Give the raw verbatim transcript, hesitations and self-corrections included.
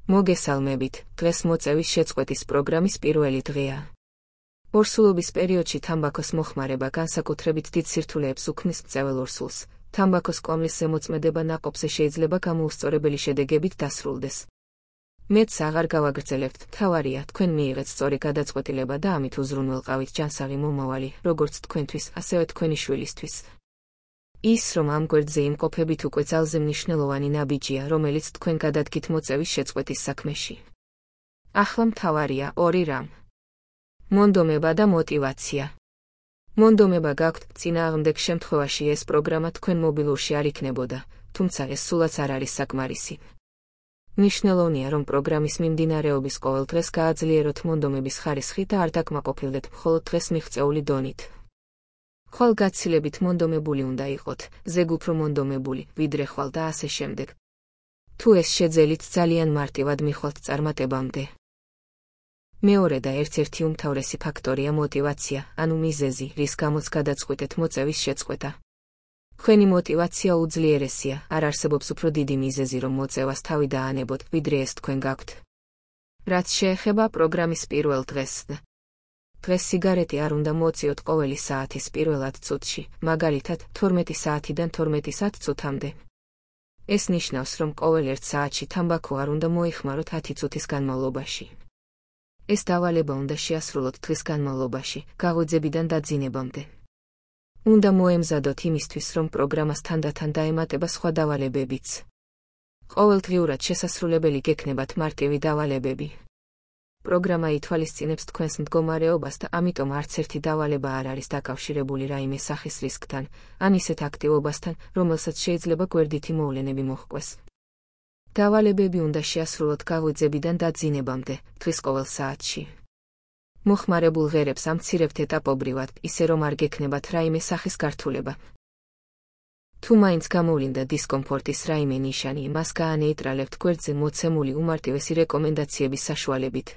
მოგესალმებით, დღეს მოწევის შეწყვეტის პროგრამის პირველი დღეა. ორსულობის პერიოდში თამბაქოს მოხმარება განსაკუთრებით დიდ სირთულეებს უქმნის მწვეველ ორსულს. თამბაქოს კომლის ზემოწმედება ნაყოფზე შეიძლება გამოუსწორებელი შედეგებით დასრულდეს. მეც აღარ გავაგრძელებთ, მთავარია თქვენ მიიღეთ სწორი გადაწყვეტილება და ამით უზრუნველყავით ჯანსაღი მომავალი, როგორც თქვენთვის, ასევე თქვენი შვილისთვის. ის, რომ ამ გვერდზე იმყოფებით უკვე ძალზე მნიშვნელოვანი ნაბიჯია, რომელიც თქვენ გადადგით მოწევის შეწყვეტის საქმეში. ახლა მთავარია ორი რამ. მონდომება და мотиваცია. მონდომება გაქვთ, წინააღმდეგ შემთხვევაში ეს პროგრამა თქვენ მობილურში არ იქნებოდა, თუმცა ეს სულაც არ არის საკმარისი. მნიშვნელოვანია, რომ პროგრამის მიმდინარეობის ყოველ დღეს გააძლიეროთ მონდომების ხარისხი და არ დაკმაყოფილდეთ მხოლოდ დღეს მიღწეული დონით. ხვალ გაცილებით მონდომებული უნდა იყოთ, ზეგ უფრო მონდომებული, ვიდრე ხვალ და ასე შემდეგ. თუ ეს შეძელით ძალიან მარტივად მიხვალთ წარმატებამდე. მეორე და ერთ-ერთი უმთავრესი ფაქტორია мотиваცია, ანუ მიზეზი, რის გამოც გადაწყვიტეთ მოწევის შეწყვეტა. თქვენი мотиваცია უძლიერესია, არ არსებობს უფრო დიდი მიზეზი, რომ მოწევას თავი დაანებოთ, ვიდრე ეს თქვენ გაქვთ. რაც შეეხება პროგრამის პირველ დღეს. დღეს სიგარეტი არ უნდა მოწიოთ ყოველი საათის პირველ ათ წუთში, მაგალითად, თორმეტი საათიდან თორმეტი ათ წუთამდე. ეს ნიშნავს, რომ ყოველ ერთ საათში თამბაქო არ უნდა მოიხმაროთ ათი წუთის განმავლობაში. ეს დავალება უნდა შეასრულოთ დღის განმავლობაში, გაღვიძებიდან დაძინებამდე. უნდა მოემზადოთ იმისთვის, რომ პროგრამას თანდათან დაემატება სხვა დავალებებიც. ყოველდღიურად შესასრულებელი გექნებათ მარტივი დავალებები. პროგრამა ითვალისწინებს თქვენს მდგომარეობას და ამიტომ არც ერთი დავალება არ არის დაკავშირებული რაიმე სახის რისკთან, ან ისეთ აქტივობასთან, რომელსაც შეიძლება გვერდითი მოვლენები მოჰყვეს. დავალებები უნდა შეასრულოთ გაღვიძებიდან დაძინებამდე, დღის ყოველ საათში. მოხმარებულ ღერებს ამცირებთ ეტაპობრივად, ისე რომ არ გექნებათ რაიმე სახის გართულება. თუ მაინც გამოვლინდა დისკომფორტის რაიმე ნიშანი, მას გაანეიტრალებთ გვერდზე მოცემული უმარტივესი რეკომენდაციების საშუალებით.